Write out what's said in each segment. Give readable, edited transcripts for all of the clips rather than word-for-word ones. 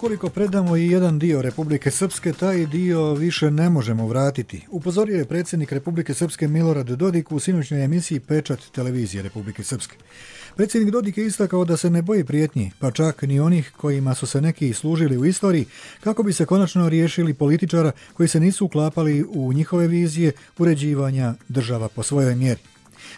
Ukoliko predamo i jedan dio Republike Srpske, taj dio više ne možemo vratiti. Upozorio je predsjednik Republike Srpske Milorad Dodik u sinoćnoj emisiji Pečat televizije Republike Srpske. Predsjednik Dodik je istakao da se ne boji prijetnji, pa čak ni onih kojima su se neki služili u istoriji, kako bi se konačno riješili političara koji se nisu uklapali u njihove vizije uređivanja država po svojoj mjeri.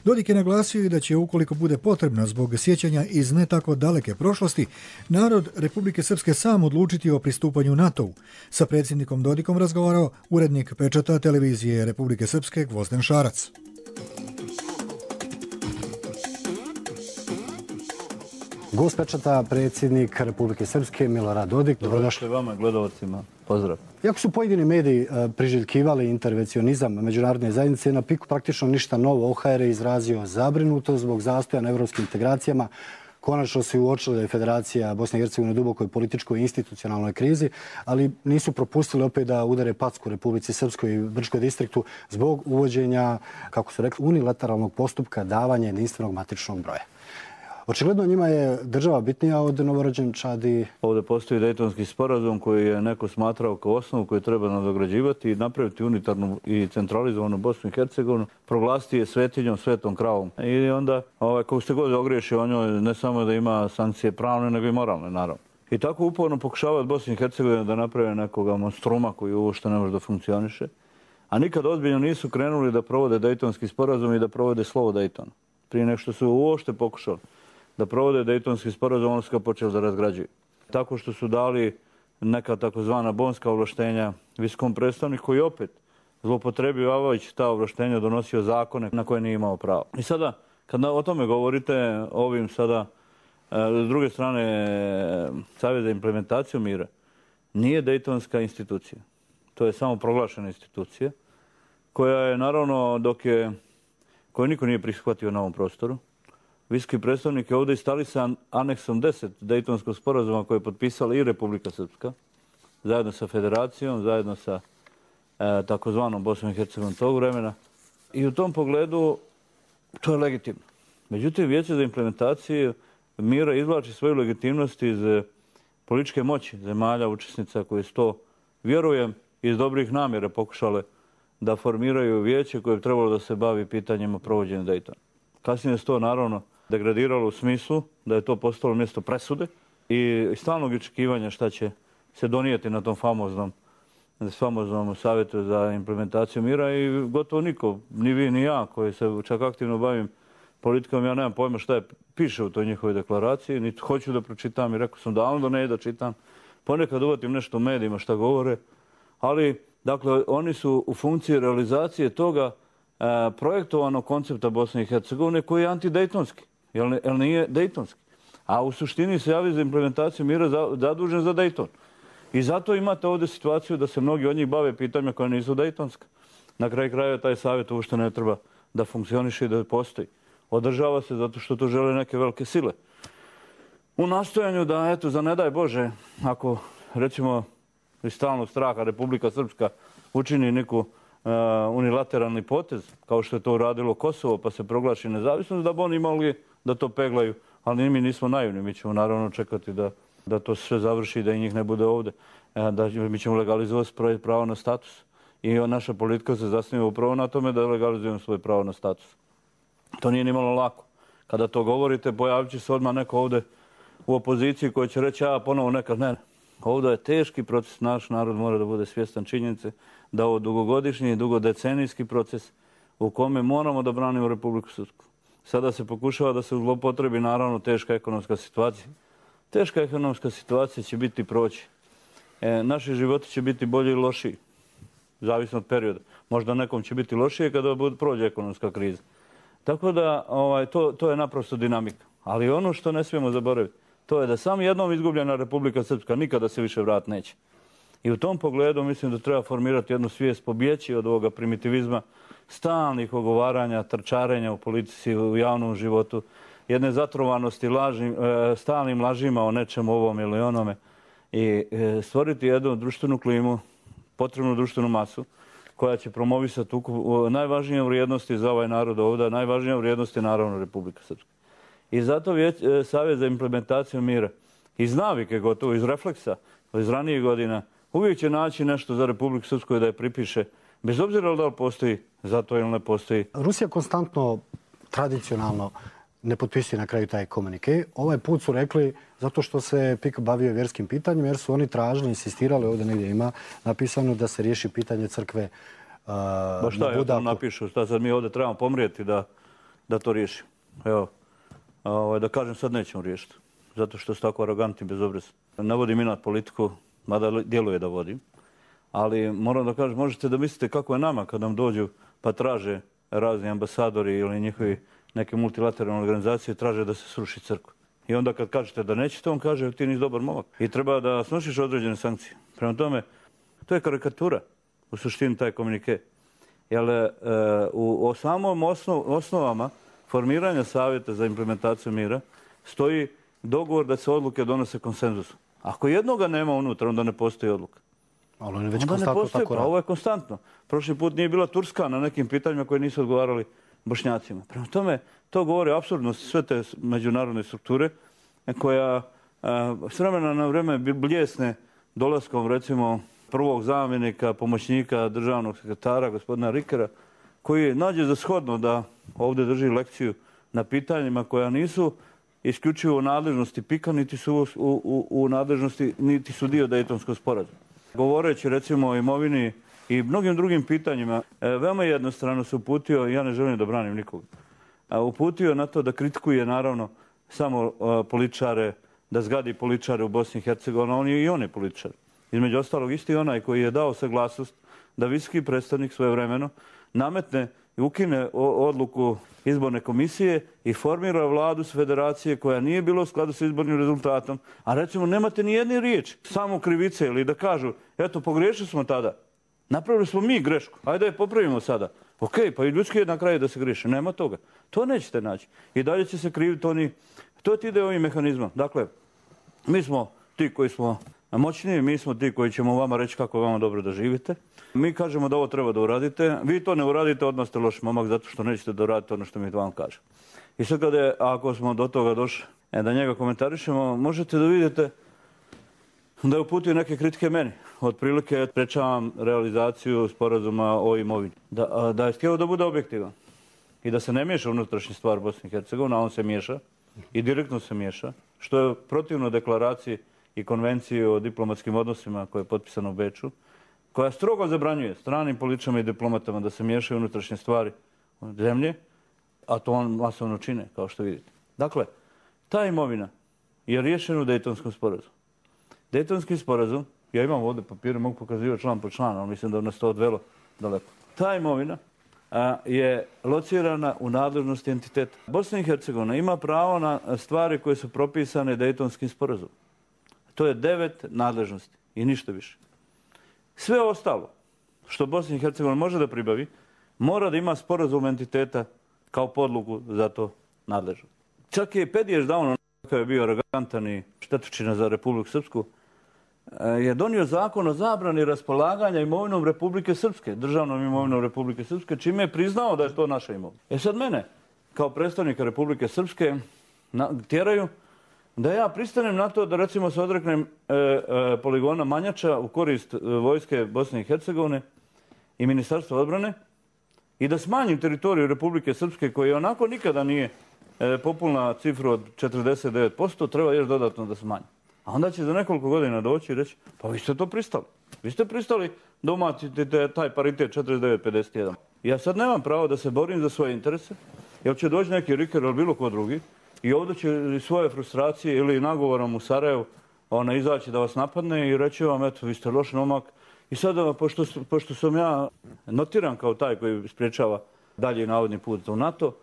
Dodik je naglasio i da će, ukoliko bude potrebno zbog sjećanja iz ne tako daleke prošlosti, narod Republike Srpske sam odlučiti o pristupanju NATO-u. Sa predsjednikom Dodikom razgovarao urednik Pečata televizije Republike Srpske Gvozden Šarac. Gost Pečata, predsjednik Republike Srpske Milorad Dodik. Dobrodošli vama, gledalcima. Pozdrav. Iako su pojedini mediji priželjkivali intervencionizam međunarodne zajednice, na piku praktično ništa novo. OHR je izrazio zabrinutost zbog zastoja na evropskim integracijama. Konačno se uočilo da je Federacija Bosne i Hercegovine u dubokoj političkoj i institucionalnoj krizi, ali nisu propustili opet da udare packu Republici Srpskoj i Brčkoj distriktu zbog uvođenja, kako su rekli, unilateralnog postupka davanja jedinstvenog matičnog broja. Očigledno njima je država bitnija od novorođenčadi. Ovdje postoji Dejtonski sporazum koji je neko smatrao kao osnovu koju treba nadograđivati i napraviti unitarnu i centralizovanu Bosnu i Hercegovinu, proglasiti je svetinjom, svetom kravom. I onda, kako ste god ogriješi o njoj, ne samo da ima sankcije pravne, nego i moralne, naravno. I tako uporno pokušavaju Bosnu i Hercegovinu da naprave nekoga monstruma koji uopšte ne može da funkcioniše. A nikad ozbiljno nisu krenuli da provode Dejtonski sporazum i da provode slovo Dejtona. Prije nego što su uopšte pokušali da provode Dejtonski sporazum, oni su ga počeli da razgrađuju. Tako što su dali neka takozvana bonska ovlaštenja visokom predstavniku koji opet zloupotrebljavajući ta ovlaštenja donosio zakone na koje nije imao pravo. I sada, kad o tome govorite, ovim sada, s druge strane, Savjet za implementaciju mira nije Dejtonska institucija. To je samo proglašena institucija koja je, naravno, koju niko nije prihvatio na ovom prostoru. Visoki predstavnik je ovdje istali sa aneksom 10 Dejtonskog sporazuma koje je potpisala i Republika Srpska, zajedno sa Federacijom, zajedno sa takozvanom Bosnom i Hercegovinom tog vremena. I u tom pogledu to je legitimno. Međutim, Vijeće za implementaciju mira izvlači svoju legitimnost iz političke moći zemalja učesnica koje su to, vjerujem, iz dobrih namjera pokušale da formiraju vijeće koje je trebalo da se bavi pitanjima provođenja Dejtona. Kasnije se to, naravno, degradiralo u smislu da je to postalo mjesto presude i stalnog očekivanja šta će se donijeti na tom famoznom savjetu za implementaciju mira i gotovo niko, ni vi ni ja koji se čak aktivno bavim politikom, ja nemam pojma šta piše u toj njihovoj deklaraciji, niti hoću da pročitam i rekao sam davno da ne da čitam. Ponekad uvatim nešto u medijima šta govore, ali dakle oni su u funkciji realizacije toga projektovanog koncepta Bosne i Hercegovine koji je antidejtonski, jer nije dejtonski. A u suštini se javi za implementaciju mira zadužen za Dejton. I zato imate ovdje situaciju da se mnogi od njih bave pitanjima koja nisu dejtonska. Na kraju krajeva taj savjet uopšte ne treba da funkcioniše i da postoji. Održava se zato što to žele neke velike sile. U nastojanju da, eto, za ne daj Bože, ako, recimo, iz stalnog straha Republika Srpska učini neku unilateralni potez, kao što je to uradilo Kosovo, pa se proglaši nezavisnost, da bi oni imali da to peglaju. Ali mi nismo naivni, mi ćemo naravno čekati da to sve završi i da i njih ne bude ovdje. Mi ćemo legalizovati svoje pravo na status. I naša politika se zasniva upravo na tome da legalizujemo svoje pravo na status. To nije nimalo lako. Kada to govorite, pojavit će se odmah neko ovdje u opoziciji koji će reći, ponovo nekad ne. Ovdje je teški proces, naš narod mora da bude svjestan činjenice da ovo dugogodišnji i dugodecenijski proces u kome moramo da branimo Republiku Srpsku. Sada se pokušava da se zlopotrebi, naravno, teška ekonomska situacija. Teška ekonomska situacija će biti proći. Naši životi će biti bolji i lošiji, zavisno od perioda. Možda nekom će biti lošije kada prođe ekonomska kriza. Tako da to je naprosto dinamika. Ali ono što ne smijemo zaboraviti, to je da samo jednom izgubljena Republika Srpska nikada se više vrat neće. I u tom pogledu mislim da treba formirati jednu svijest, pobjeći od ovoga primitivizma, stalnih ogovaranja, trčarenja u politici, u javnom životu, jedne zatrovanosti stalnim lažima o nečemu ovom ili onome i stvoriti jednu društvenu klimu, potrebnu društvenu masu koja će promovisati najvažnije vrijednosti za ovaj narod ovdje, najvažnija vrijednost je naravno Republika Srpska. I zato Savjet za implementaciju mira iz navike gotovo, iz refleksa, iz ranijih godina, uvijek će naći nešto za Republiku Srpsku da je pripiše, bez obzira da li postoji za to ili ne postoji. Rusija konstantno, tradicionalno, ne potpisuje na kraju taj komunike. Ovaj put su rekli zato što se PIK bavio vjerskim pitanjem, jer su oni tražili, insistirali, ovdje negdje ima napisano da se riješi pitanje crkve na Budaku. Šta ja to napišu? Šta sad mi ovdje trebamo pomrijeti da to riješimo? Evo, da kažem sad nećemo riješiti. Zato što su tako arogantni bez obraza. Ne vodim inat politiku, mada djeluje da vodim. Ali moram da kažem, možete da mislite kako je nama kad nam dođu pa traže razni ambasadori ili njihovi neke multilateralne organizacije traže da se sruši crkva. I onda kad kažete da nećete, on kaže ti nisi dobar momak. I treba da snošiš određene sankcije. Prema tome, to je karikatura u suštini taj komunike. Jer u samom osnovama formiranja savjeta za implementaciju mira stoji dogovor da se odluke donose konsenzusom. Ako jednoga nema unutra, onda ne postoji odluka. Ali on je već konstantno tako radi. Ovo je konstantno. Prošli put nije bila Turska na nekim pitanjima koje nisu odgovarali Bošnjacima. Prema tome, to govori o apsurdnosti sve te međunarodne strukture koja s vremena na vreme bljesne dolaskom, recimo, prvog zamjenika, pomoćnika državnog sekretara, gospodina Rikera, koji nađe za shodno da ovdje drži lekciju na pitanjima koja nisu isključivo u nadležnosti PIK-a, niti su u nadležnosti, niti su dio Dejtonskog sporazuma. Govoreći, recimo, o imovini i mnogim drugim pitanjima, veoma jednostrano se uputio, ja ne želim da branim nikoga, uputio na to da kritikuje, naravno, samo političare, da zgadi političare u Bosni i Hercegovini, i on je političar. Između ostalog, isti onaj koji je dao saglasnost da visoki predstavnik svojevremeno nametne i ukine odluku izborne komisije i formira vladu s federacije koja nije bila u skladu s izbornim rezultatom, a recimo nemate ni jedne riječi, samo krivice ili da kažu, eto, pogriješili smo tada, napravili smo mi grešku, ajde da je popravimo sada. Ok, pa i ljudski je na kraju da se griješi, nema toga. To nećete naći. I dalje će se kriviti oni, to ti ide ovim mehanizmom. Dakle, mi smo ti koji smo moćniji, mi smo ti koji ćemo vama reći kako je vama dobro da živite. Mi kažemo da ovo treba da uradite. Vi to ne uradite, odmah ste loš momak zato što nećete da uradite ono što mi vam kaže. I sad ako smo do toga došli da njega komentarišemo, možete da vidite da je uputio neke kritike meni. Otprilike sprečavam realizaciju sporazuma o imovini. Da je htio da bude objektivan i da se ne miješa unutrašnji stvar Bosne i Hercegovine, a on se miješa i direktno se miješa, što je protivno deklaraciji i konvenciji o diplomatskim odnosima koja je potpisana u Beču, koja strogo zabranjuje stranim političarima i diplomatama da se miješaju unutrašnje stvari zemlje, a to on masovno čine, kao što vidite. Dakle, ta imovina je riješena u Dejtonskom sporazumu. Dejtonski sporazum, ja imam ovdje papire, mogu pokazivati član po član, ali mislim da nas to odvelo daleko. Ta imovina je locirana u nadležnosti entiteta. Bosna i Hercegovina ima pravo na stvari koje su propisane Dejtonskim sporazumom. To je 9 nadležnosti i ništa više. Sve ostalo što Bosna i Hercegovina može da pribavi, mora da ima sporazum entiteta kao podlogu za to nadležno. Čak je Pediješ davno, kada je bio arogantan i štetočina za Republiku Srpsku, je donio zakon o zabrani raspolaganja imovinom Republike Srpske, državnom imovinom Republike Srpske, čime je priznao da je to naša imovina. Sad mene, kao predstavnika Republike Srpske, tjeraju da ja pristanem na to da recimo se odreknem poligona Manjača u korist vojske Bosne i Hercegovine i Ministarstva odbrane i da smanjim teritoriju Republike Srpske koja onako nikada nije populna cifru od 49%, treba još dodatno da smanji. A onda će za nekoliko godina doći i reći, pa vi ste to pristali. Vi ste pristali da umatite taj paritet 49-51. Ja sad nemam pravo da se borim za svoje interese, jer će doći neki Riker ili bilo ko drugi i ovdje će svoje frustracije ili nagovorom u Sarajevu izaći da vas napadne i reći vam, eto, vi ste loš momak. I sada, pošto sam ja notiran kao taj koji spriječava dalje navodni put u NATO,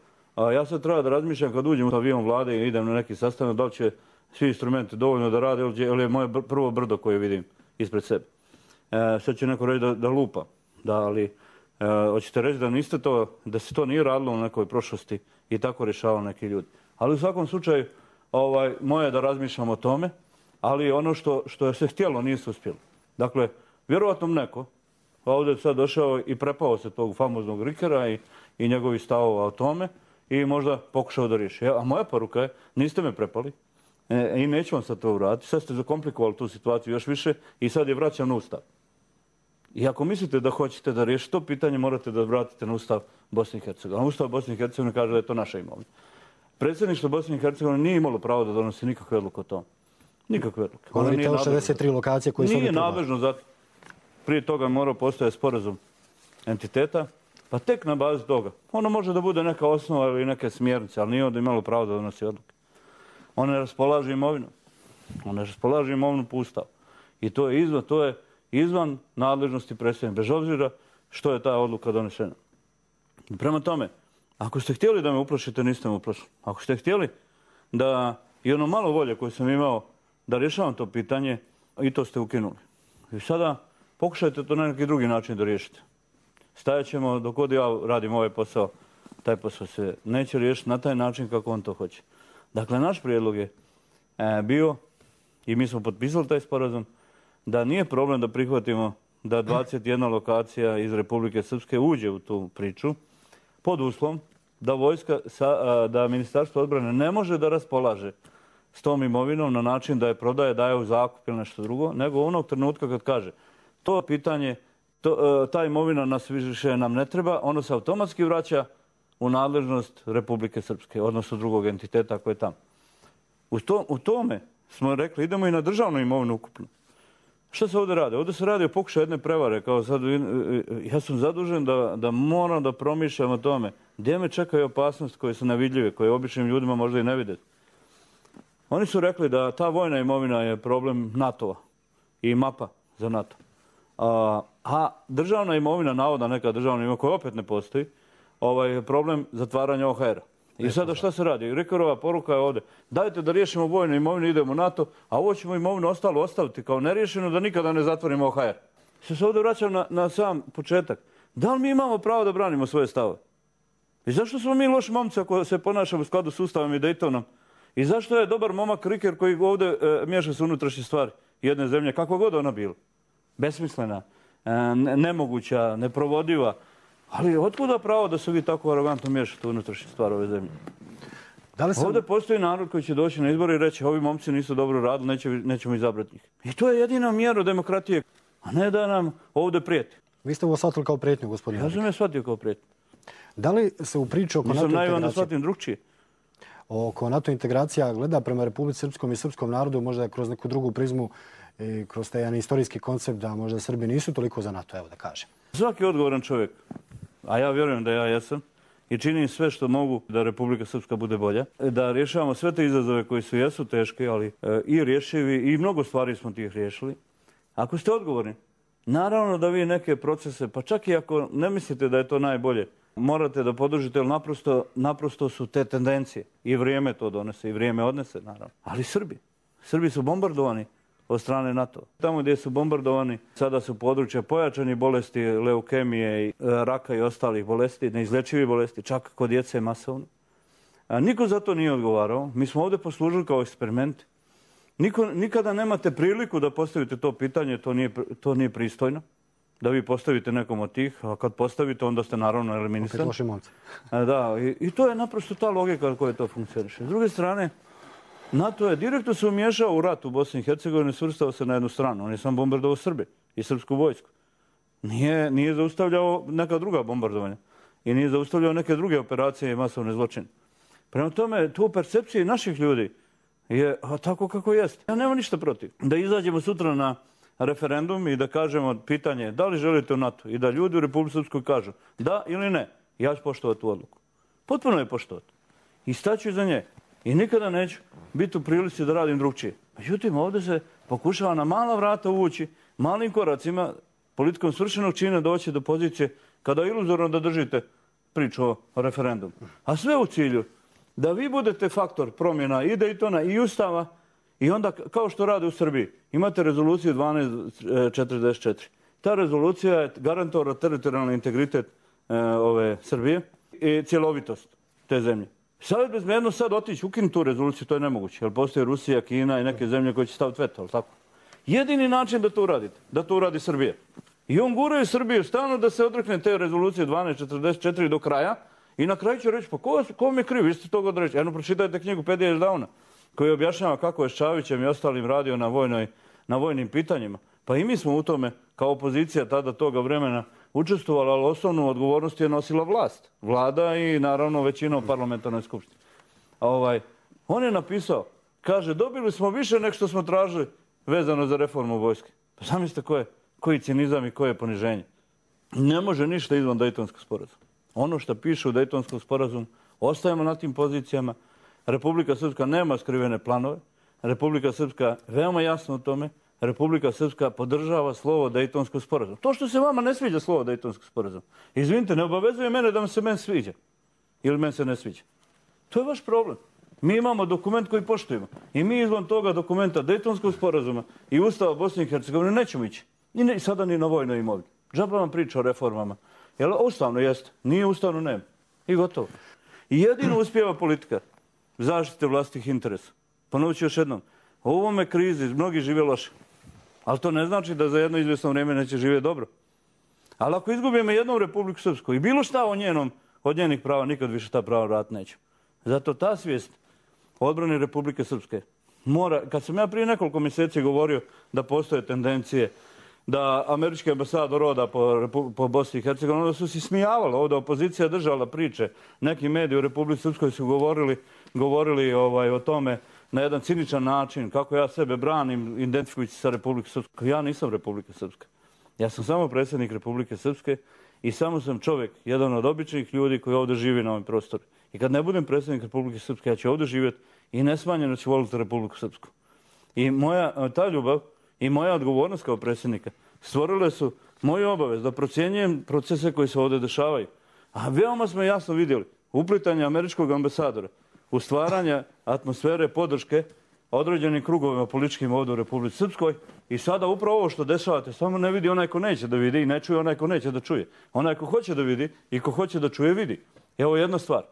ja sad treba da razmišljam kad uđem u avion vlade i idem na neki sastanak, da li će svi instrumenti dovoljno da rade ili je moje prvo brdo koje vidim ispred sebe. Sad će neko reći da lupa, ali hoćete reći da niste to, da se to nije radilo u nekoj prošlosti i tako rješavali neki ljudi. Ali u svakom slučaju, moje je da razmišljam o tome, ali ono što je se htjelo nije se uspjelo. Dakle, vjerovatno neko ovdje sad došao i prepao se tog famoznog Rikera i njegovih stavova o tome i možda pokušao da riješi. A moja poruka je, niste me prepali, I neću sad to vratiti. Sad ste zakomplikovali tu situaciju još više i sad je vraćam na Ustav. I ako mislite da hoćete da riješite to pitanje, morate da vratite na Ustav Bosne i Hercegovine. A Ustav Bosne i Hercegovine kaže da je to naša imovina. Predsjedništvo Bosne i Hercegovine nije imalo pravo da donosi nikakve odluke o tom. Nikakve odluke. Govorite o 63 lokacije koje su nije nadležno za to. Prije toga morao postojati sporazum entiteta, pa tek na bazi toga. Ono može da bude neka osnova ili neke smjernice, ali nije onda imalo pravo da donosi odluke. One raspolaže imovinom. One raspolaže imovinom po Ustavu. I to je izvan nadležnosti predsjednika, bez obzira što je ta odluka donesena. Prema tome, ako ste htjeli da me uplašite, niste me uplašili. Ako ste htjeli da i ono malo volje koje sam imao da rješavam to pitanje, i to ste ukinuli. I sada pokušajte to na neki drugi način da riješite. Stajat ćemo dok god ja radim ovaj posao, taj posao se neće riješiti na taj način kako on to hoće. Dakle, naš prijedlog je bio, i mi smo potpisali taj sporazum, da nije problem da prihvatimo da 21 lokacija iz Republike Srpske uđe u tu priču, pod uslovom da da Ministarstvo odbrane ne može da raspolaže s tom imovinom na način da je prodaje, daje u zakup ili nešto drugo, nego onog trenutka kad kaže to pitanje, ta imovina nas više nam ne treba, ono se automatski vraća u nadležnost Republike Srpske, odnosno drugog entiteta koji je tamo. U tome smo rekli, idemo i na državnu imovinu ukupno. Što se ovdje radi? Ovdje se radi o pokušaju jedne prevare. Kao sad, ja sam zadužen da moram da promišljam o tome gdje me čekaju opasnosti koje su nevidljive, koje običnim ljudima možda i ne vide. Oni su rekli da ta vojna imovina je problem NATO-a i mapa za NATO. A državna imovina, navodna neka državna imovina koja opet ne postoji, je problem zatvaranja OHR-a. I sada šta se radi? Rikerova poruka je ovdje. Dajte da riješimo vojnu imovinu, idemo u NATO, a ovo ćemo imovinu ostalo ostaviti kao neriješeno da nikada ne zatvorimo OHR. Se ovdje vraćam na sam početak. Da li mi imamo pravo da branimo svoje stave? I zašto smo mi loši momci ako se ponašamo u skladu s Ustavom i Daytonom? I zašto je dobar momak Riker koji ovdje miješa se unutrašnje stvari jedne zemlje, kakva god ona bila? Besmislena, nemoguća, neprovodiva. Ali otkuda pravo da se vi tako arogantno miješate u unutrašnje stvari ove zemlje? Ovdje postoji narod koji će doći na izbore i reći ovi momci nisu dobro radili, nećemo izabrati njih. I to je jedina mjera demokratije, a ne da nam ovdje prijeti. Vi ste ovo shvatili kao prijetnju, gospodine. Ja sam je shvatio kao prijetnju. Da li se u priču oko NATO integracije... Nisam naivan da shvatim drugčije. Oko NATO integracija gleda prema Republici Srpskom i srpskom narodu, možda kroz neku drugu prizmu i kroz taj jedan istorijski koncept da možda Srbi nisu toliko za NATO, evo da kažem. Svaki odgovoran čovjek, a ja vjerujem da ja jesam, i činim sve što mogu da Republika Srpska bude bolja, da rješavamo sve te izazove koji jesu teški, ali i rješivi, i mnogo stvari smo tih riješili. Ako ste odgovorni, naravno da vi neke procese, pa čak i ako ne mislite da je to najbolje, morate da podržite, jer naprosto su te tendencije. I vrijeme to donese, i vrijeme odnese, naravno. Ali Srbi su bombardovani od strane NATO. Tamo gdje su bombardovani, sada su područja pojačanih bolesti, leukemije, raka i ostalih bolesti, neizlečivih bolesti, čak kod djece masovno. Niko za to nije odgovarao. Mi smo ovdje poslužili kao eksperiment. Nikada nemate priliku da postavite to pitanje, to nije pristojno. Da vi postavite nekom od tih, a kad postavite, onda ste naravno eliminisani. Opet loši momci. Da, i to je naprosto ta logika koja to funkcioniše. S druge strane, NATO je direktno se umiješao u rat u Bosni i Hercegovini i svrstao se na jednu stranu. On je sam bombardovao Srbe i srpsku vojsku. Nije zaustavljao neka druga bombardovanja i nije zaustavljao neke druge operacije i masovne zločine. Prema tome, to u percepciji naših ljudi je tako kako jeste. Ja nemam ništa protiv. Da izađemo sutra na referendum i da kažemo pitanje da li želite u NATO i da ljudi u Republici Srpskoj kažu da ili ne, ja ću poštovati tu odluku. Potpuno je poštovati. I staću iza nje. I nikada neću biti u prilici da radim drugčije. Međutim, ovdje se pokušava na mala vrata uvući, malim koracima, politikom svršenog čina doći do pozicije kada je iluzorno da držite priču o referendumu. A sve u cilju da vi budete faktor promjena i Daytona i Ustava i onda, kao što rade u Srbiji, imate rezoluciju 1244. Ta rezolucija je garantovala teritorijalni integritet Srbije i cjelovitost te zemlje. Savjet bezbednosti sad otići, ukinuti tu rezoluciju, to je nemoguće, jer postoje Rusija, Kina i neke zemlje koje će staviti veto, ali tako? Jedini način da to uradite, da to uradi Srbija. I on guraju Srbiju stalno da se odrekne te rezolucije 1244 do kraja i na kraju će reći, pa ko vam je kriv, vi ste toga odreći. Jedno, pročitajte knjigu Pedija Ždavna. koji objašnjava kako je s Čavićem i ostalim radio na vojnim pitanjima. Pa i mi smo u tome, kao opozicija tada toga vremena, učestvovali, ali osnovnu odgovornost je nosila vlast. Vlada i naravno većina u parlamentarnoj skupštini. On je napisao, kaže, dobili smo više nego što smo tražili vezano za reformu vojske. Pa zamislite koji cinizam i koje poniženje. Ne može ništa izvan Dejtonskog sporazuma. Ono što piše u Dejtonskom sporazumu, ostajemo na tim pozicijama. Republika Srpska nema skrivene planove. Republika Srpska veoma jasno o tome. Republika Srpska podržava slovo Dejtonskog sporazuma. To što se vama ne sviđa slovo Dejtonskog sporazuma, izvinite, ne obavezuje mene da se meni sviđa. Ili meni se ne sviđa. To je vaš problem. Mi imamo dokument koji poštujemo. I mi izvan toga dokumenta Dejtonskog sporazuma i Ustava Bosne i Hercegovine nećemo ići. I sada ni na vojnoj imovini. Džaba vam priča o reformama. Jel ustavno jeste? Nije ustavno, nema. I gotovo. I jedino uspijeva politika zaštite vlastitih interesa. Ponovit ću još jednom. U ovome krizi mnogi žive loše. Ali to ne znači da za jedno izvjesno vrijeme neće živjeti dobro. Ali ako izgubimo jednu Republiku Srpsku i bilo šta od njenih prava, nikad više ta prava vratiti neće. Zato ta svijest o odbrani Republike Srpske mora, kad sam ja prije nekoliko mjeseci govorio da postoje tendencije da američki ambasador oda po Bosni i Hercegovini, onda su se smijavali. Ovdje opozicija držala priče. Neki mediji u Republici Srpskoj su govorili o tome na jedan ciničan način, kako ja sebe branim identifikujući sa Republike Srpske. Ja nisam Republika Srpska. Ja sam samo predsjednik Republike Srpske i samo sam čovjek, jedan od običnih ljudi koji ovdje živi na ovim prostoru. I kad ne budem predsjednik Republike Srpske, ja ću ovdje živjeti i nesmanjeno ću voliti Republiku Srpsku. I ta ljubav i moja odgovornost kao predsjednika stvorile su moju obavez da procjenjujem procese koji se ovdje dešavaju. A veoma smo jasno vidjeli uplitanje američkog ambasadora u stvaranje atmosfere podrške određenim krugovima političkim ovdje u Republici Srpskoj i sada upravo ovo što dešavate samo ne vidi onaj ko neće da vidi i ne čuje onaj ko neće da čuje. Onaj ko hoće da vidi i ko hoće da čuje vidi. Evo jedna stvar.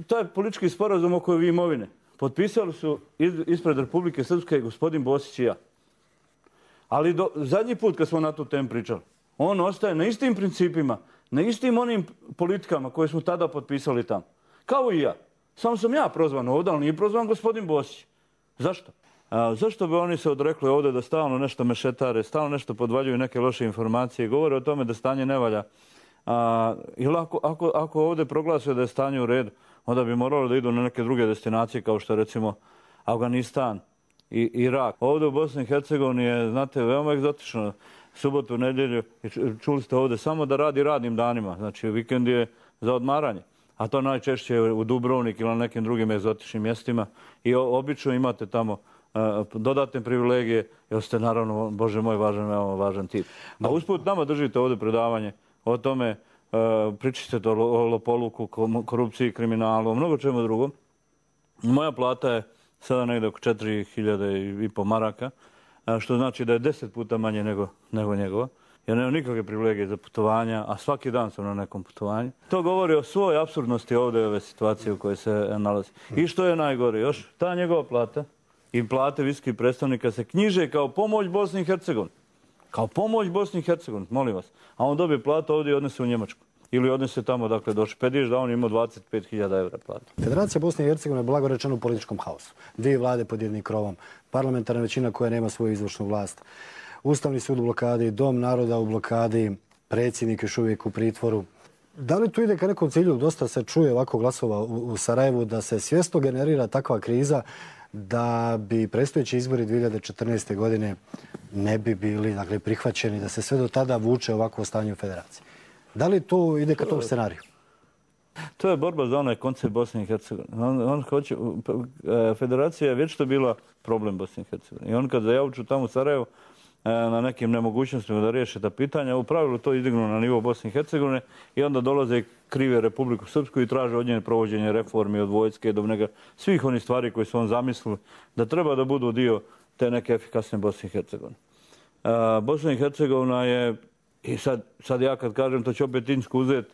Taj politički sporazum oko imovine potpisali su ispred Republike Srpske gospodin Bosić i ja. Ali zadnji put kad smo na tu temu pričali, on ostaje na istim principima, na istim onim politikama koje smo tada potpisali tamo. Kao i ja. Samo sam ja prozvan ovdje, ali nije prozvan gospodin Bosić. Zašto? Zašto bi oni se odrekli ovdje da stalno nešto mešetare, stalno nešto podvaljuju neke loše informacije, govore o tome da stanje ne valja. Ili ako ovdje proglase da je stanje u redu, onda bi moralo da idu na neke druge destinacije kao što recimo Afganistan i Irak. Ovdje u Bosni i Hercegovini je, znate, veoma egzotično. Subotu, nedjelju, čuli ste ovdje, samo da radi radnim danima. Znači, vikend je za odmaranje. A to najčešće u Dubrovnik ili na nekim drugim egzotičnim mjestima. I obično imate tamo dodatne privilegije, jer ste naravno, Bože moj, važan tip. A usput nama držite ovdje predavanje o tome, pričate o lopoluku, korupciji, kriminalu, o mnogo čemu drugom. Moja plata je sada negdje oko 4.500 maraka, što znači da je 10 puta manje nego njegova. Ja nemam nikakve privilegije za putovanja, a svaki dan sam na nekom putovanju. To govori o svoj apsurdnosti ovdje ove situacije u kojoj se nalazi. I što je najgore još, ta njegova plata i plate visokih predstavnika se knjiže kao pomoć Bosni i Hercegovini. Kao pomoć Bosni i Hercegovini, molim vas. A on dobije platu ovdje i odnese u Njemačku. Ili odnese tamo dakle do Špediš da on ima 25.000 evra platu. Federacija Bosne i Hercegovine je blago rečeno u političkom haosu. Dvije vlade pod jednim krovom, parlamentarna većina koja nema svoju izvršnu vlast, Ustavni sud u blokadi, Dom naroda u blokadi, predsjednik još uvijek u pritvoru. Da li tu ide ka nekom cilju? Dosta se čuje ovako glasova u Sarajevu da se svjesno generira takva kriza da bi predstojeći izbori 2014. godine ne bi bili prihvaćeni, da se sve do tada vuče ovako stanje u federaciji. Da li to ide ka tom scenariju? To je borba za onaj koncept Bosne i Hercegovine. Federacija je već to bila problem Bosne i Hercegovine. I on kad zajavuču tamo u Sarajevu na nekim nemogućnostima da riješe ta pitanja, u pravilu to izdignu na nivo Bosne i Hercegovine i onda dolaze i krive Republiku Srpsku i traže od njene provođenje reformi od vojske do svih onih stvari koje su on zamislili da treba da budu dio te neke efikasne Bosne i Hercegovine. Bosna i Hercegovina je, i sad ja kad kažem, to će opet Insku uzeti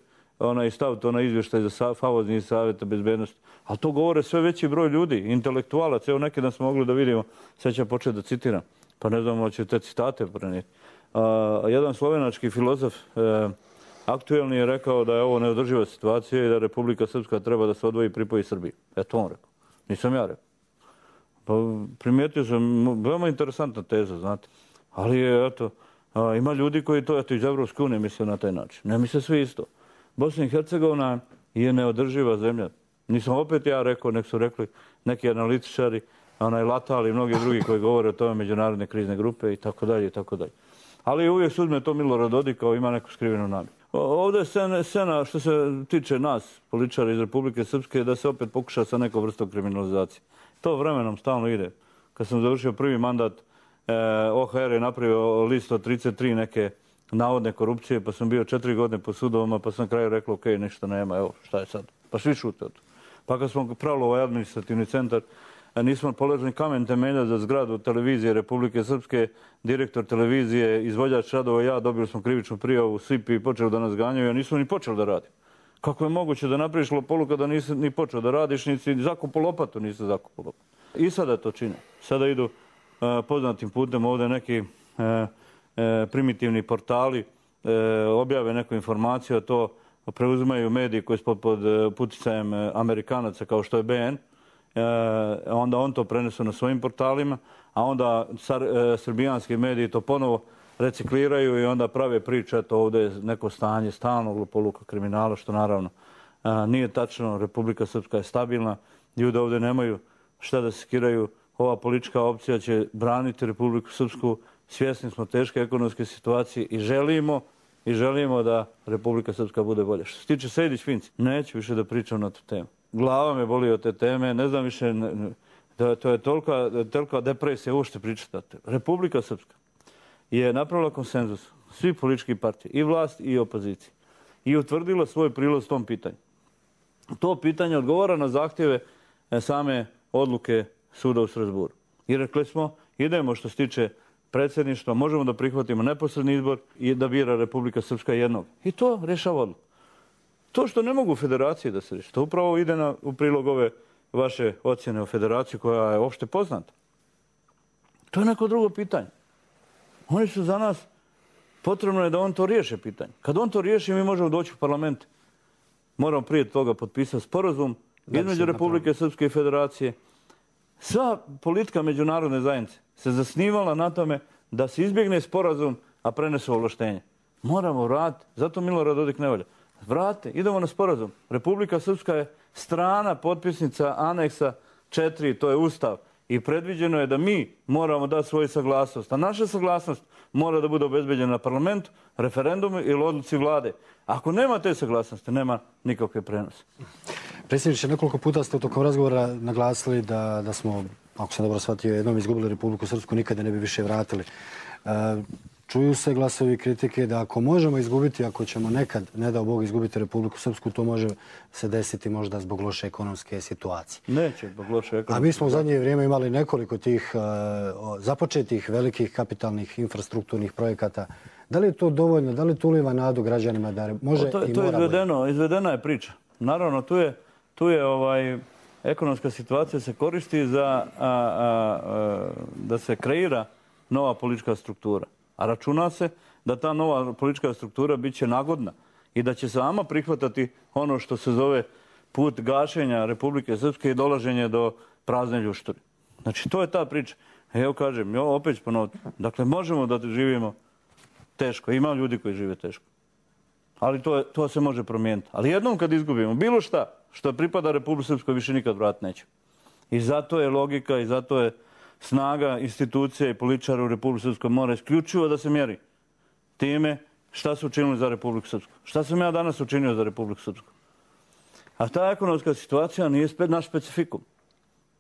i staviti onaj izvještaj za famozni savjeta bezbednosti. Ali to govore sve veći broj ljudi, intelektualaca. Evo neki dan smo mogli da vidimo, sad ću početi da citiram, pa ne znam će te citate prenijeti. Jedan slovenački filozof aktuelni je rekao da je ovo neodrživa situacija i da Republika Srpska treba da se odvoji i pripoji Srbiji. Eto on rekao. Nisam ja rekao. Pa primijetio sam, veoma interesantna teza, znate. Ali je, eto, ima ljudi koji to, eto, iz Evropske unije misle na taj način. Ne misle svi isto. Bosna i Hercegovina je neodrživa zemlja. Nisam opet ja rekao, nek su rekli neki analitičari, Latal i mnogi drugi koji govore o tome, međunarodne krizne grupe i tako dalje i tako dalje. Ali uvijek se uzme to Milorad Dodik kao ima neku skrivenu namjeru. Ovdje je scena što se tiče nas, političara iz Republike Srpske, da se opet pokuša sa nekom vrstom kriminalizacije. To vremenom stalno ide. Kad sam završio prvi mandat, OHR je napravio list od 33 neke navodne korupcije, pa sam bio 4 godine po sudovima, pa sam na kraju rekao, ok, ništa nema, evo, šta je sad? Pa svi šute od to. Pa kad smo pravili ovaj administrativni centar, nismo položili kamen temelja za zgradu televizije Republike Srpske, direktor televizije, izvođač radova, ja, dobili smo krivičnu prijavu, svi počeli da nas ganjaju, a nismo ni počeli da radimo. Kako je moguće da napraviš lopolu kada nisi ni počeo da radiš, nisi zakupao lopatu, nisi zakupao lopatu. I sada to čine. Sada idu poznatim putem ovdje neki primitivni portali, objave neku informaciju, a to preuzimaju mediji koji su pod uticajem Amerikanaca kao što je BN, onda on to prenesu na svojim portalima, a onda srbijanski mediji to ponovo recikliraju i onda prave priče, to ovdje je neko stanje stalnog lupoluka kriminala, što naravno nije tačno. Republika Srpska je stabilna, ljudi ovdje nemaju šta da se skiraju. Ova politička opcija će braniti Republiku Srpsku, svjesni smo teške ekonomske situacije i želimo da Republika Srpska bude bolja. Što se tiče Sejdić-Finci, neću više da pričam na tu temu. Glava me boli od te teme, ne znam više, to je tolika depresija uopšte pričati o tome. Republika Srpska je napravila konsenzus svih političkih partija, i vlast i opozicije, i utvrdila svoj prilaz tom pitanju. To pitanje odgovara na zahtjeve same odluke suda u Strasburu. I rekli smo, idemo što se tiče predsjedništva, možemo da prihvatimo neposredni izbor i da bira Republika Srpska jednog. I to rješava odluku. To što ne mogu federaciji da se riješi, to upravo ide u prilog ove vaše ocjene o federaciji koja je opšte poznata. To je neko drugo pitanje. Oni su za nas, potrebno je da on to riješe pitanje. Kad on to riješi, mi možemo doći u parlament. Moramo prije toga potpisati sporazum između Republike Srpske i federacije. Sva politika međunarodne zajednice se zasnivala na tome da se izbjegne sporazum, a prenesu ovlaštenje. Moramo vratiti, zato Milorad Dodik ne valja. Vrate, idemo na sporazum. Republika Srpska je strana potpisnica aneksa 4, to je Ustav. I predviđeno je da mi moramo dati svoju saglasnost. A naša saglasnost mora da bude obezbeđena na parlamentu, referendumu ili odluci vlade. Ako nema te saglasnosti, nema nikakve prenose. Predsjedniče, nekoliko puta ste u tokom razgovora naglasili da smo, ako sam dobro shvatio, jednom izgubili Republiku Srpsku, nikada ne bi više vratili. Čuju se glasovi kritike da ako možemo izgubiti, ako ćemo nekad, ne dao Bog, izgubiti Republiku Srpsku, to može se desiti možda zbog loše ekonomske situacije. Neće zbog loše ekonomske situacije. A mi smo u zadnje vrijeme imali nekoliko tih započetih velikih kapitalnih infrastrukturnih projekata. Da li je to dovoljno, da li to uliva nadu građanima da može i mora bolje? To je izvedena je priča. Naravno, tu je ekonomska situacija se koristi za da se kreira nova politička struktura. A računa se da ta nova politička struktura bit će nagodna i da će sama prihvatati ono što se zove put gašenja Republike Srpske i dolaženje do prazne ljuštore. Znači, to je ta priča. Evo kažem, opet ću ponoviti. Dakle, možemo da živimo teško. Ima ljudi koji žive teško. Ali to se može promijeniti. Ali jednom kad izgubimo bilo šta što pripada Republike Srpskoj, više nikad vrat neće. I zato je logika i zato je snaga institucija i političara u Republike Srpskoj mora isključivo da se mjeri time šta su učinili za Republiku Srpsku. Šta sam ja danas učinio za Republiku Srpsku? A ta ekonomska situacija nije naš specifikum.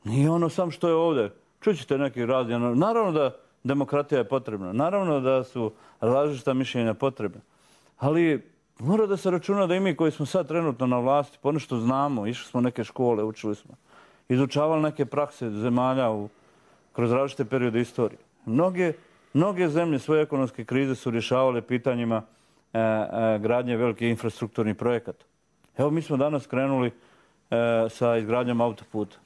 Nije ono sam što je ovdje. Čućete neki razni. Naravno da demokratija je potrebna. Naravno da su različita mišljenja potrebna. Ali mora da se računa da i mi koji smo sad trenutno na vlasti ponešto znamo, išli smo neke škole, učili smo, izučavali neke prakse zemalja kroz različite periode istorije. Mnoge zemlje svoje ekonomske krize su rješavale pitanjima gradnje velikih infrastrukturnih projekata. Evo, mi smo danas krenuli sa izgradnjom autoputa.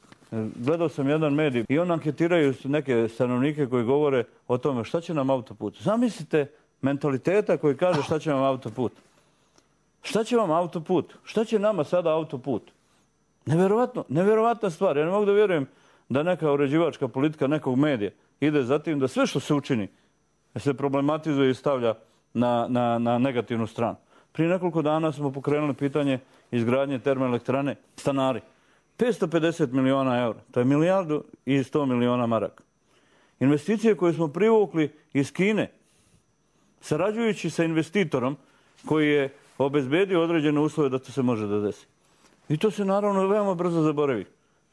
Gledao sam jedan medij i on anketiraju neke stanovnike koji govore o tome šta će nam autoput. Zamislite mentaliteta koji kaže šta će vam autoput. Šta će vam autoput? Šta će nama sada autoput? Nevjerovatna stvar. Ja ne mogu da vjerujem da neka uređivačka politika nekog medija ide za tim da sve što se učini se problematizuje i stavlja na negativnu stranu. Prije nekoliko dana smo pokrenuli pitanje izgradnje termoelektrane Stanari. 550 miliona eura. To je 1,1 milijarda maraka. Investicije koje smo privukli iz Kine, sarađujući sa investitorom koji je obezbedio određene uslove da to se može da desi. I to se naravno veoma brzo zaboravi.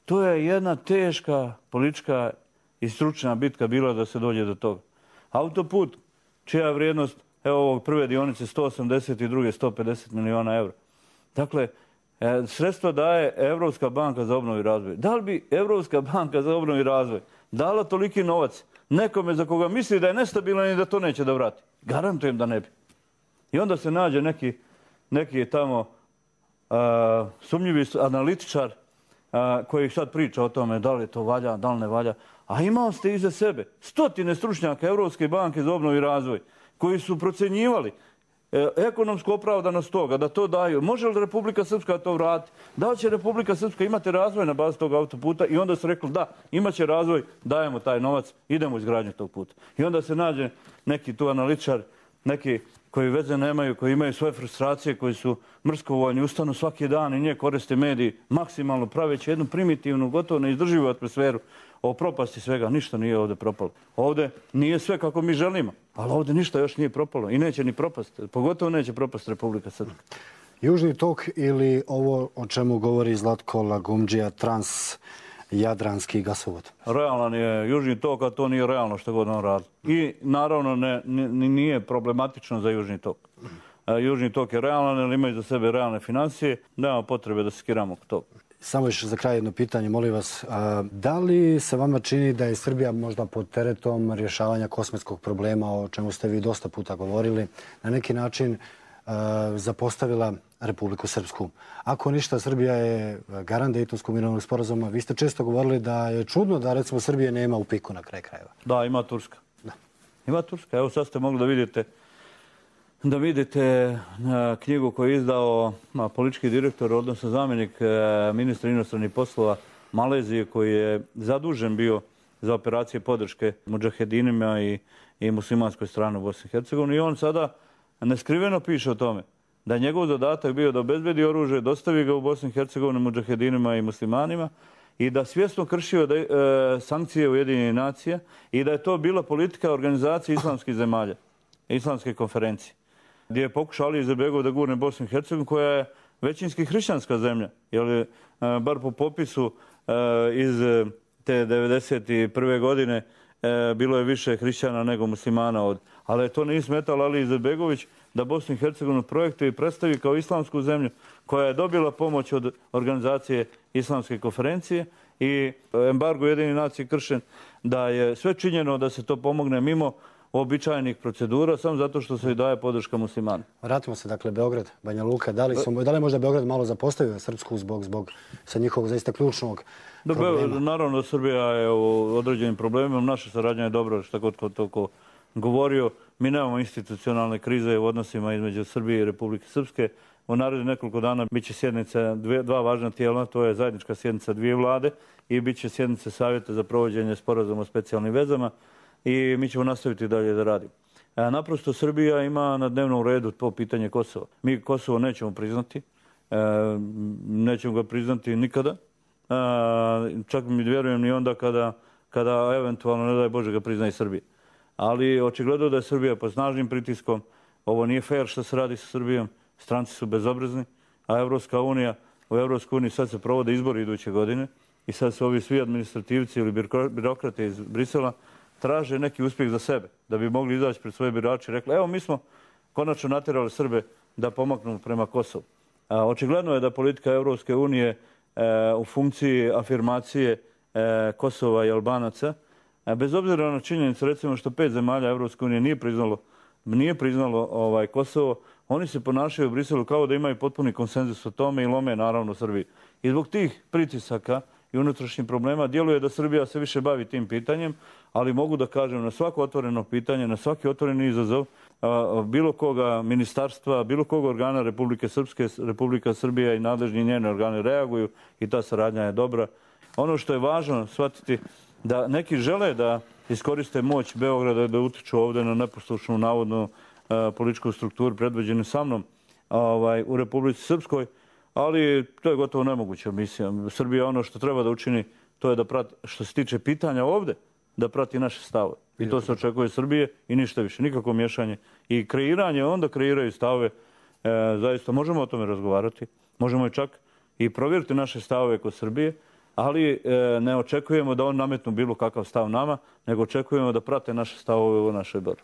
To je jedna teška politička i stručna bitka bila da se dođe do toga. Autoput, čija vrijednost, evo ovog prve dionice 180 i druge 150 miliona eura. Dakle, sredstva daje Evropska banka za obnovu i razvoj. Da li bi Evropska banka za obnovu i razvoj dala toliki novac nekome za koga misli da je nestabilan i da to neće da vrati? Garantujem da ne bi. I onda se nađe neki tamo sumnjivi analitičar koji sad priča o tome da li to valja, da li ne valja. A imao ste iza sebe stotine stručnjaka Evropske banke za obnovu i razvoj koji su procenjivali ekonomsku opravdanost toga, da to daju. Može li Republika Srpska to vratiti? Da li će Republika Srpska imati razvoj na bazi tog autoputa? I onda su rekli da, imaće razvoj, dajemo taj novac, idemo u izgradnju tog puta. I onda se nađe neki tu analitičar, neki koji veze nemaju, koji imaju svoje frustracije, koji su mrskovoljni, ustanu svaki dan i nje koriste mediji maksimalno praveći jednu primitivnu, gotovo neizdrživu atmosferu o propasti svega. Ništa nije ovdje propalo. Ovdje nije sve kako mi želimo, ali ovdje ništa još nije propalo i neće ni propasti. Pogotovo neće propasti Republika Srpska. Južni tok ili ovo o čemu govori Zlatko Lagumdžija, transjadranski gasovod? Realan je Južni tok, a to nije realno što god on radi. I naravno nije problematično za Južni tok. Južni tok je realan, jer ima za sebe realne financije. Nema potrebe da se skiramo oko toga. Samo još za kraj jedno pitanje, molim vas. Da li se vama čini da je Srbija možda pod teretom rješavanja kosmetskog problema, o čemu ste vi dosta puta govorili, na neki način zapostavila Republiku Srpsku? Ako ništa, Srbija je garant Dejtonskog mirovnog sporazuma. Vi ste često govorili da je čudno da, recimo, Srbije nema u piku na kraj krajeva. Da, ima Turska. Ima Turska. Evo sad ste mogli da vidite knjigu koju je izdao politički direktor, odnosno zamjenik ministra inostranih poslova Malezije, koji je zadužen bio za operacije podrške mudžahedinima i muslimanskoj strani u Bosni i Hercegovini. I on sada neskriveno piše o tome da je njegov zadatak bio da obezbedi oružje, dostavi ga u Bosni i Hercegovini mudžahedinima i muslimanima i da svjesno kršio sankcije Ujedinjenih nacija i da je to bila politika organizacije islamskih zemalja, islamske konferencije, gdje je pokušao Ali Izetbegović da gurne Bosnu i Hercegovinu, koja je većinski hrišćanska zemlja, jer bar po popisu iz te 1991. godine bilo je više hrišćana nego muslimana. Ali to nije smetalo Ali Izetbegović da Bosnu i Hercegovinu projektuje i predstavi kao islamsku zemlju koja je dobila pomoć od organizacije islamske konferencije i embargo Ujedinjenih nacija kršen, da je sve činjeno da se to pomogne mimo običajnih procedura, samo zato što se i daje podrška muslimana. Vratimo se, dakle, Beograd, Banja Luka. Da li je možda Beograd malo zapostavio Srpsku zbog sa njihovog zaista ključnog problema? Naravno da Srbija je u određenim problemima. Naša saradnja je dobra, što god toliko govorio. Mi nemamo institucionalne krize u odnosima između Srbije i Republike Srpske. U narednih nekoliko dana bit će sjednica dva važna tijela, to je zajednička sjednica dvije vlade i bit će sjednice Savjeta za provođenje sporazuma o specijalnim vezama. I mi ćemo nastaviti dalje da radimo. Naprosto Srbija ima na dnevnom redu to pitanje Kosova. Mi Kosovo nećemo priznati. Nećemo ga priznati nikada. Čak mi vjerujem ni onda kada eventualno, ne daj Bože, ga prizna i Srbija. Ali očigledno da je Srbija pod snažnim pritiskom. Ovo nije fair što se radi sa Srbijom. Stranci su bezobrazni. A u Evropskoj uniji sad se provode izbori iduće godine. I sad su ovi svi administrativci ili birokrate iz Brisela traže neki uspjeh za sebe, da bi mogli izaći pred svoje birače i rekli, evo mi smo konačno natjerali Srbe da pomaknu prema Kosovu. Očigledno je da politika Evropske unije u funkciji afirmacije Kosova i Albanaca, bez obzira na činjenicu, recimo, što 5 zemalja Evropske unije nije priznalo Kosovo, oni se ponašaju u Briselu kao da imaju potpuni konsenzus o tome i lome naravno Srbiji. I zbog tih pritisaka i unutrašnjih problema. Djeluje da Srbija se više bavi tim pitanjem, ali mogu da kažem na svako otvoreno pitanje, na svaki otvoreni izazov bilo koga ministarstva, bilo koga organa Republike Srpske, Republika Srbija i nadležni njene organe reaguju i ta saradnja je dobra. Ono što je važno shvatiti da neki žele da iskoriste moć Beograda da utiču ovdje na neposlušnu navodnu političku strukturu predvođenu sa mnom u Republici Srpskoj, ali to je gotovo nemoguća misija. Srbija ono što treba da učini, to je da prati, što se tiče pitanja ovdje, da prati naše stavove. I to se očekuje od Srbije i ništa više, nikakvo miješanje. I kreiranje, onda kreiraju stavove. Zaista možemo o tome razgovarati, možemo i čak i provjeriti naše stavove kod Srbije, ali ne očekujemo da on nametnu bilo kakav stav nama, nego očekujemo da prate naše stavove u našoj borbi.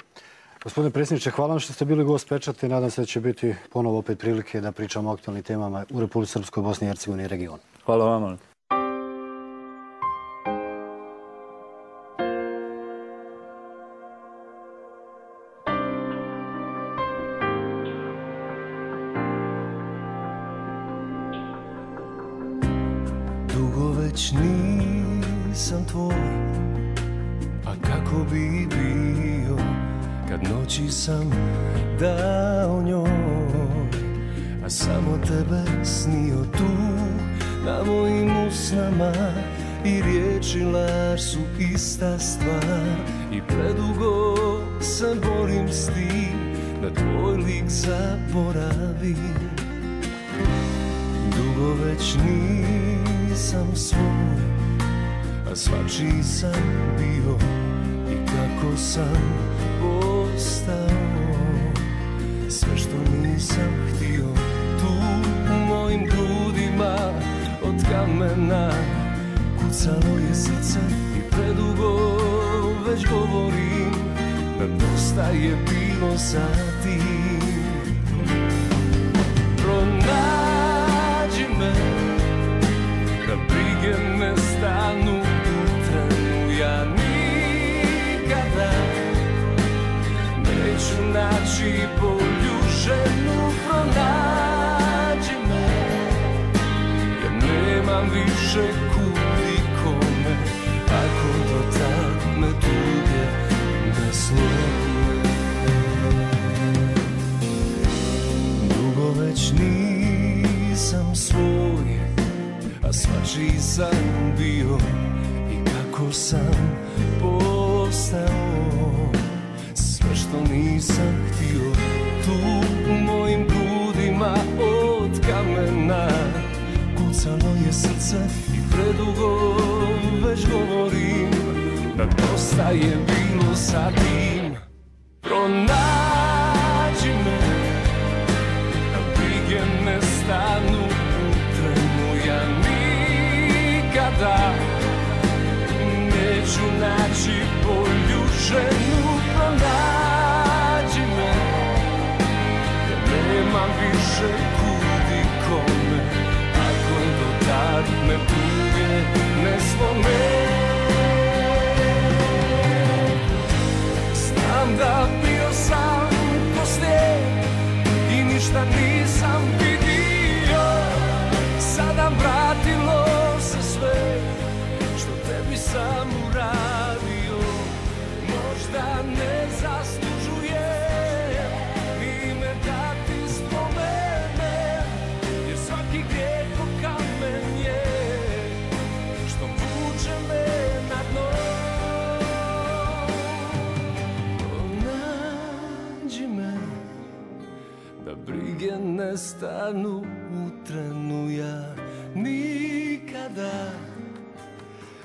Gospodine predsjedniče, hvala vam što ste bili gost Pečata i nadam se da će biti ponovo opet prilike da pričamo o aktualnim temama u Republici Srpskoj, Bosni i Hercegovini i regionu. Hvala vama. Dugo već nisam tvoj, a kako bi bio kad noći sam dao njoj, a samo tebe snio tu na mojim usnama i riječi laž su ista stvar i predugo se borim s tim da tvoj lik zaboravim. Dugo već nisam svoj, a svačiji sam bio i kako sam postao sve što nisam htio. Tu u mojim grudima od kamena kucalo je srce i predugo već govorim da dosta je bilo sa tim. Pronađi me da brige ne stanu u trenu, ja nikada neću naći bolju ženu. Pronađi me, jer nemam više kud i kome, ako do tad me tuge ne slome. Dugo već nisam svoj, a svačiji sam bio i kako sam postao sve što nisam htio. Tu u mojim grudima od kamena kucalo je srce i predugo već govorim da dosta je bilo sa tim. Pronađi me da brige ne stanu u trenu, ja nikada neću naći bolju ženu. Pronađi me, jer nemam više kud i kome, ako do tad me tuge ne slome. Znam da bio sam ko snijeg i ništa nisam vidio, sada vratilo se sve što tebi sam uradio. Možda ne zaslužujem ime da ti spomenem, jer svaki grijeh ko kamen je što vuče me na dno. Pronađi me da brige ne stanu u trenu, ja nikada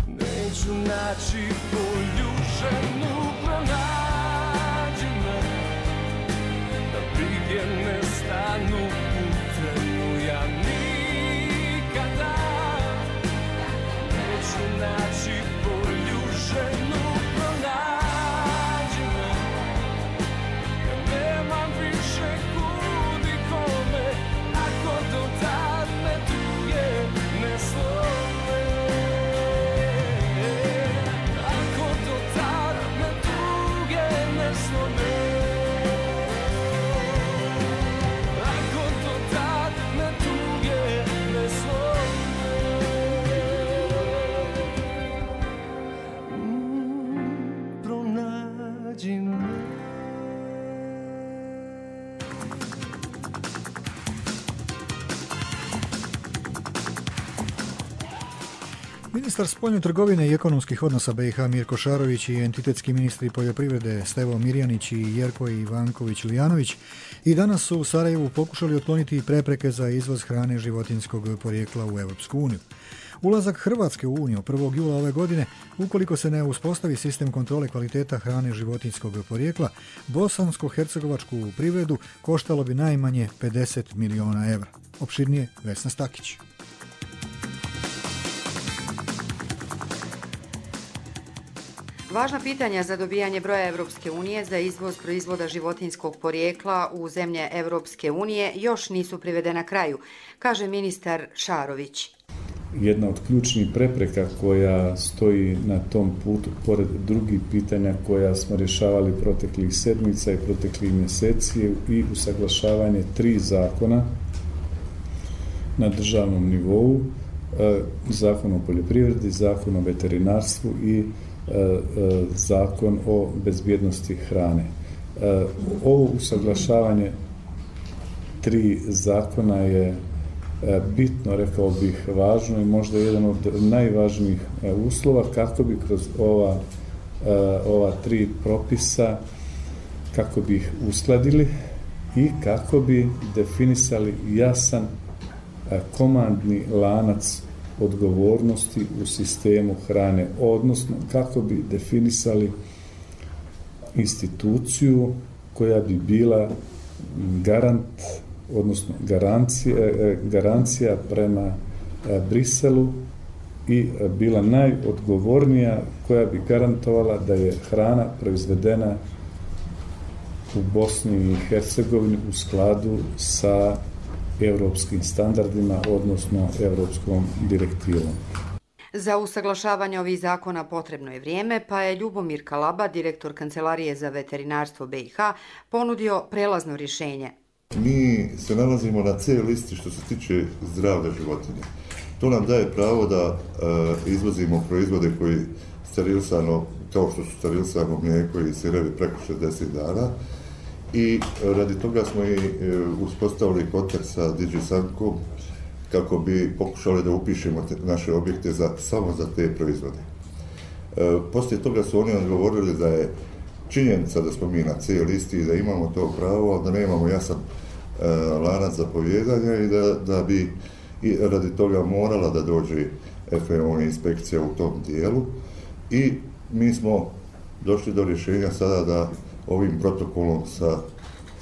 neću naći bolju ženu. Pronađi me da brige ne stanu u trenu, ja nikada neću naći bolju ženu. Pronađi me, ja nemam više kud i kome, ako do tad me tuge ne slome. Ako do tad me tuge Ministar spoljne trgovine i ekonomskih odnosa BiH Mirko Šarović i entitetski ministri poljoprivrede Stevo Mirjanić i Jerko Ivanković-Lijanović i danas su u Sarajevu pokušali otkloniti prepreke za izvoz hrane životinjskog porijekla u Europsku uniju. Ulazak Hrvatske u Uniju 1. jula ove godine, ukoliko se ne uspostavi sistem kontrole kvaliteta hrane životinjskog porijekla, bosansko-hercegovačku privredu koštalo bi najmanje 50 miliona evra. Opširnije Vesna Stakić. Važna pitanja za dobijanje broja Evropske unije za izvoz proizvoda životinjskog porijekla u zemlje Evropske unije još nisu privedena kraju, kaže ministar Šarović. Jedna od ključnih prepreka koja stoji na tom putu, pored drugih pitanja koja smo rješavali proteklih sedmica i proteklih mjeseci, i usaglašavanje 3 zakona na državnom nivou, zakon o poljoprivredi, zakon o veterinarstvu i zakon o bezbjednosti hrane. Ovo usaglašavanje 3 zakona je bitno, rekao bih, važno i možda jedan od najvažnijih uslova kako bi kroz ova 3 propisa, kako bi ih uskladili i kako bi definisali jasan komandni lanac odgovornosti u sistemu hrane, odnosno kako bi definisali instituciju koja bi bila garant, odnosno garancija prema Briselu i bila najodgovornija, koja bi garantovala da je hrana proizvedena u Bosni i Hercegovini u skladu sa europskim standardima, odnosno europskom direktivom. Za usaglašavanje ovih zakona potrebno je vrijeme, pa je Ljubomir Kalaba, direktor Kancelarije za veterinarstvo BiH, ponudio prelazno rješenje. Mi se nalazimo na C listi što se tiče zdravlja životinja. To nam daje pravo da izvozimo proizvode koji sterilisano, kao što su sterilisano mlijeko i sirevi preko 60 dana, i radi toga smo i uspostavili kontakt sa DigiSankom kako bi pokušali da upišemo naše objekte samo za te proizvode. Poslije toga su oni odgovorili da je činjenica da smo mi na C listi i da imamo to pravo, da nemamo jasan lanac zapovijedanja i da bi radi toga morala da dođe FAO inspekcija u tom dijelu, i mi smo došli do rješenja sada da ovim protokolom sa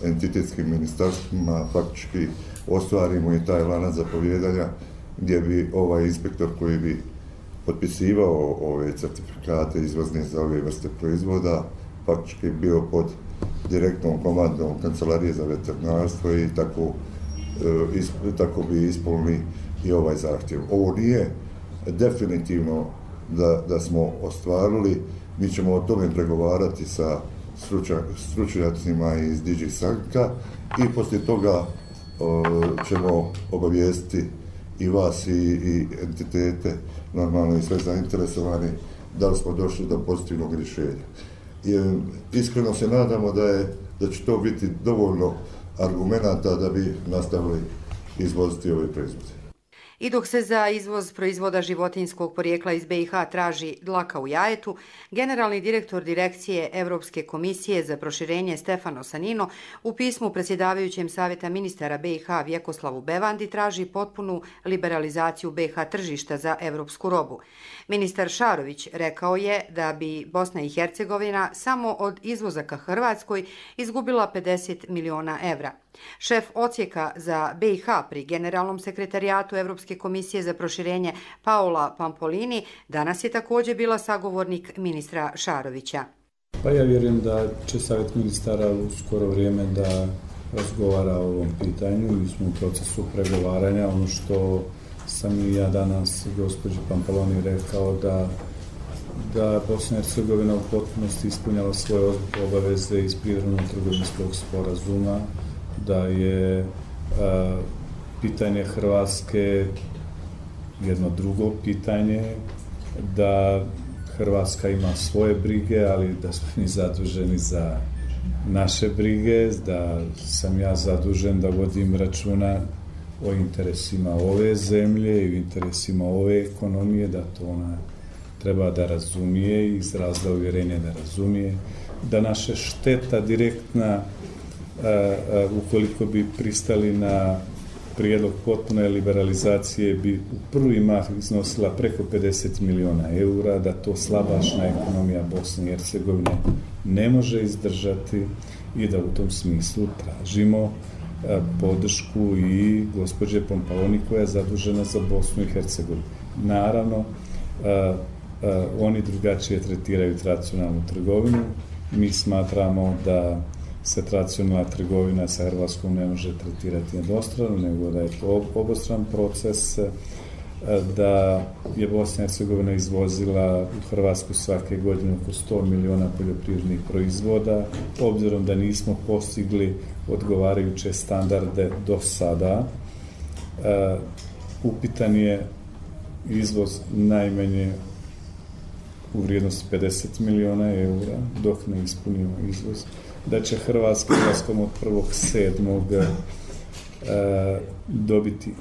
entitetskim ministarstvima faktički ostvarimo i taj lanac zapovijedanja, gdje bi ovaj inspektor koji bi potpisivao ove certifikate izvozne za ove vrste proizvoda faktički bio pod direktnom komandom Kancelarije za veterinarstvo i tako bi ispunili i ovaj zahtjev. Ovo nije definitivno da smo ostvarili, mi ćemo o tome pregovarati sa stručnjacima iz DigiSanka i poslije toga ćemo obavijestiti i vas i entitete, normalno i sve zainteresovani, da li smo došli do pozitivnog rješenja. Iskreno se nadamo da će to biti dovoljno argumenata da bi nastavili izvoziti ove proizvode. I dok se za izvoz proizvoda životinjskog porijekla iz BiH traži dlaka u jajetu, generalni direktor Direkcije Evropske komisije za proširenje Stefano Sanino u pismu predsjedavajućem Savjeta ministara BiH Vjekoslavu Bevandi traži potpunu liberalizaciju BiH tržišta za evropsku robu. Ministar Šarović rekao je da bi Bosna i Hercegovina samo od izvoza ka Hrvatskoj izgubila 50 miliona evra. Šef odsjeka za BiH pri Generalnom sekretarijatu Evropske komisije za proširenje Paola Pampolini danas je također bila sagovornik ministra Šarovića. Pa ja vjerujem da će Savjet ministara u skoro vrijeme da razgovara o ovom pitanju i smo u procesu pregovaranja. Ono što sam i ja danas gospođi Pampolini rekao da Bosna i Hercegovina u potpunosti ispunjava svoje obaveze iz privrednog trgovinskog sporazuma, da je pitanje Hrvatske jedno drugo pitanje, da Hrvatska ima svoje brige, ali da smo mi zaduženi za naše brige, da sam ja zadužen da vodim računa o interesima ove zemlje i o interesima ove ekonomije, da to ona treba da razumije i izrazila uvjerenje da razumije, da naša šteta direktna, ukoliko bi pristali na prijedlog potpune liberalizacije, bi u prvi mah iznosila preko 50 miliona eura, da to slabašna ekonomija Bosne i Hercegovine ne može izdržati i da u tom smislu tražimo podršku i gospođe Pompaloni koja je zadužena za Bosnu i Hercegovinu. Naravno, oni drugačije tretiraju tradicionalnu trgovinu. Mi smatramo da se tradicionalna trgovina sa Hrvatskom ne može tretirati jednostrano, nego da je to obostran proces, da je Bosna i Hercegovina izvozila u Hrvatsku svake godine oko 100 miliona poljoprivrednih proizvoda. Obzirom da nismo postigli odgovarajuće standarde do sada, upitan je izvoz najmanje u vrijednosti 50 miliona eura, dok ne ispunimo izvoz. Da će Hrvatska ulaskom od 1.7. dobiti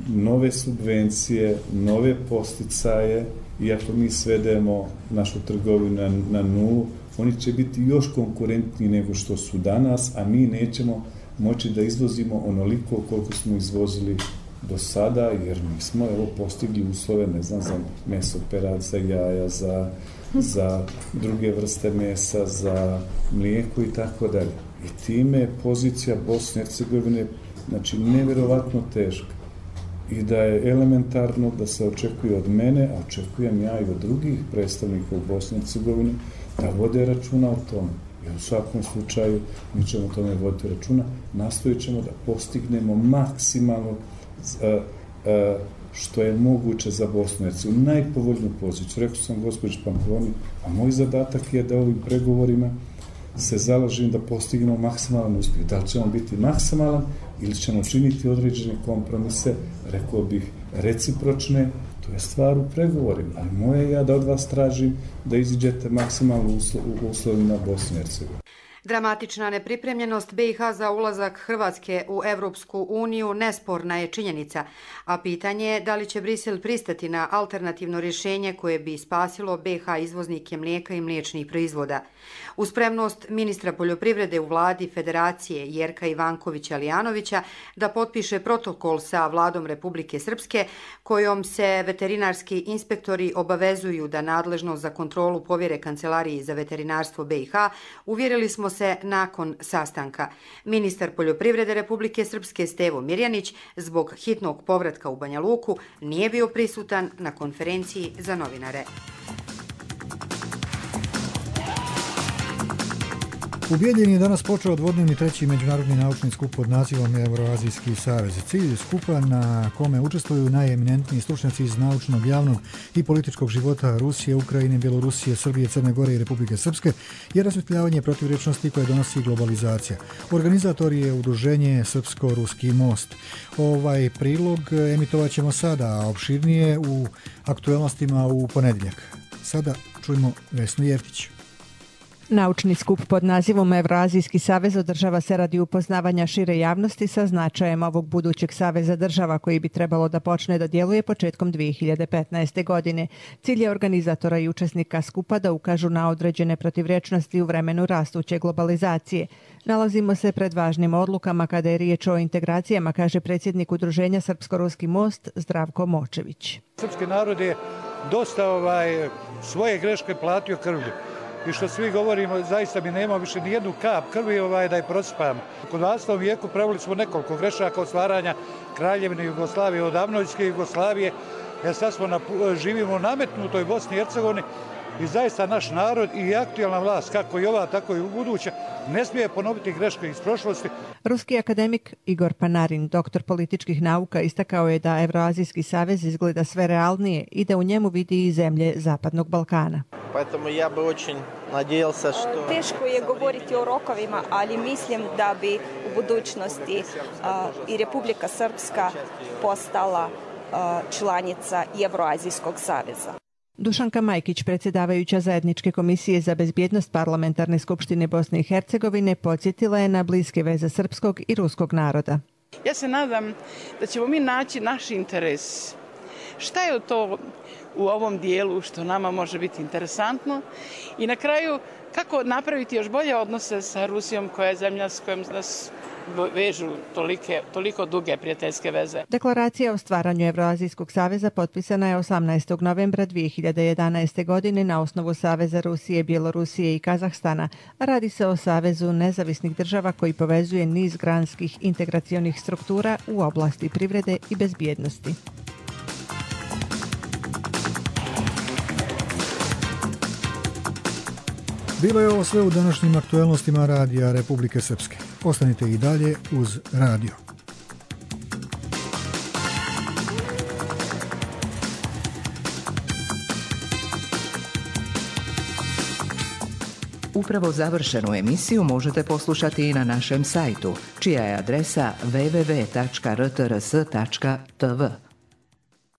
nove subvencije, nove posticaje, i ako mi svedemo našu trgovinu na nulu, oni će biti još konkurentniji nego što su danas, a mi nećemo moći da izvozimo onoliko koliko smo izvozili do sada, jer mi smo postigli uslove, ne znam, za meso perad, za jaja, za druge vrste mesa, za mlijeko i tako dalje. I time je pozicija Bosne i Hercegovine, znači, nevjerovatno teška. I da je elementarno da se očekuje od mene, a očekujem ja i od drugih predstavnika u Bosni i Hercegovini, da vode računa o tome. I u svakom slučaju mi ćemo o tome voditi računa, nastojit ćemo da postignemo maksimalno što je moguće za Bosnu i Hercegovinu, najpovoljniju poziciju. Rekao sam gospođi Pamploni, a moj zadatak je da ovim pregovorima se založim da postignemo maksimalan uspjeh. Da li ćemo biti maksimalan ili ćemo činiti određene kompromise, rekao bih recipročne, to je stvar u pregovorima. Ali moje ja da od vas tražim da iziđete maksimalno u uslovima Bosne i Hercegovine. Dramatična nepripremljenost BiH za ulazak Hrvatske u Evropsku uniju nesporna je činjenica, a pitanje je da li će Brisel pristati na alternativno rješenje koje bi spasilo BiH izvoznike mlijeka i mliječnih proizvoda. Uz spremnost ministra poljoprivrede u vladi Federacije Jerka Ivankovića-Lijanovića da potpiše protokol sa vladom Republike Srpske, kojom se veterinarski inspektori obavezuju da nadležnost za kontrolu povjere Kancelariji za veterinarstvo BiH, uvjerili smo se nakon sastanka. Ministar poljoprivrede Republike Srpske Stevo Mirjanić zbog hitnog povratka u Banja Luku nije bio prisutan na konferenciji za novinare. U Bijeljini je danas počeo dvodnevni treći međunarodni naučni skup pod nazivom Euroazijski savez. Cilj skupa, na kome učestvuju najeminentniji stručnjaci iz naučnog, javnog i političkog života Rusije, Ukrajine, Bjelorusije, Srbije, Crne Gore i Republike Srpske, je rasvjetljavanje protivrečnosti koje donosi globalizacija. Organizator je udruženje Srpsko-Ruski most. Ovaj prilog emitovat ćemo sada, a opširnije u aktuelnostima u ponedjeljak. Sada čujemo Vesnu Jeftić. Naučni skup pod nazivom Evroazijski savez održava se radi upoznavanja šire javnosti sa značajem ovog budućeg saveza država koji bi trebalo da počne da djeluje početkom 2015. godine. Cilj je organizatora i učesnika skupa da ukažu na određene protivrečnosti u vremenu rastuće globalizacije. Nalazimo se pred važnim odlukama kada je riječ o integracijama, kaže predsjednik udruženja Srpsko-Ruski most Zdravko Močević. Srpski narod je dosta svoje greške platio krvlju. I što svi govorimo, zaista mi nema više ni jednu kap krvi da je prosipamo. U 20. vijeku pravili smo nekoliko grešaka od stvaranja Kraljevine Jugoslavije, od Avnojske Jugoslavije, jer sad živimo u nametnutoj Bosni i Hercegovini i zaista naš narod i aktualna vlast, kako i ova, tako i u buduće, ne smije ponoviti greške iz prošlosti. Ruski akademik Igor Panarin, doktor političkih nauka, istakao je da Evroazijski savez izgleda sve realnije i da u njemu vidi i zemlje Zapadnog Balkana. Teško je govoriti o rokovima, ali mislim da bi u budućnosti i Republika Srpska postala članica Evroazijskog saveza. Dušanka Majkić, predsjedavajuća Zajedničke komisije za bezbjednost Parlamentarne skupštine Bosne i Hercegovine, podsjetila je na bliske veze srpskog i ruskog naroda. Ja se nadam da ćemo mi naći naš interes. Šta je to u ovom dijelu što nama može biti interesantno i na kraju kako napraviti još bolje odnose sa Rusijom koja je zemlja s kojom nas vežu toliko duge prijateljske veze. Deklaracija o stvaranju Evroazijskog saveza potpisana je 18. novembra 2011. godine na osnovu Saveza Rusije, Bjelorusije i Kazahstana. Radi se o savezu nezavisnih država koji povezuje niz granskih integracionih struktura u oblasti privrede i bezbjednosti. Bilo je ovo sve u današnjim aktuelnostima Radija Republike Srpske. Ostanite i dalje uz radio. Upravo završenu emisiju možete poslušati i na našem sajtu, čija je adresa www.rtrs.tv.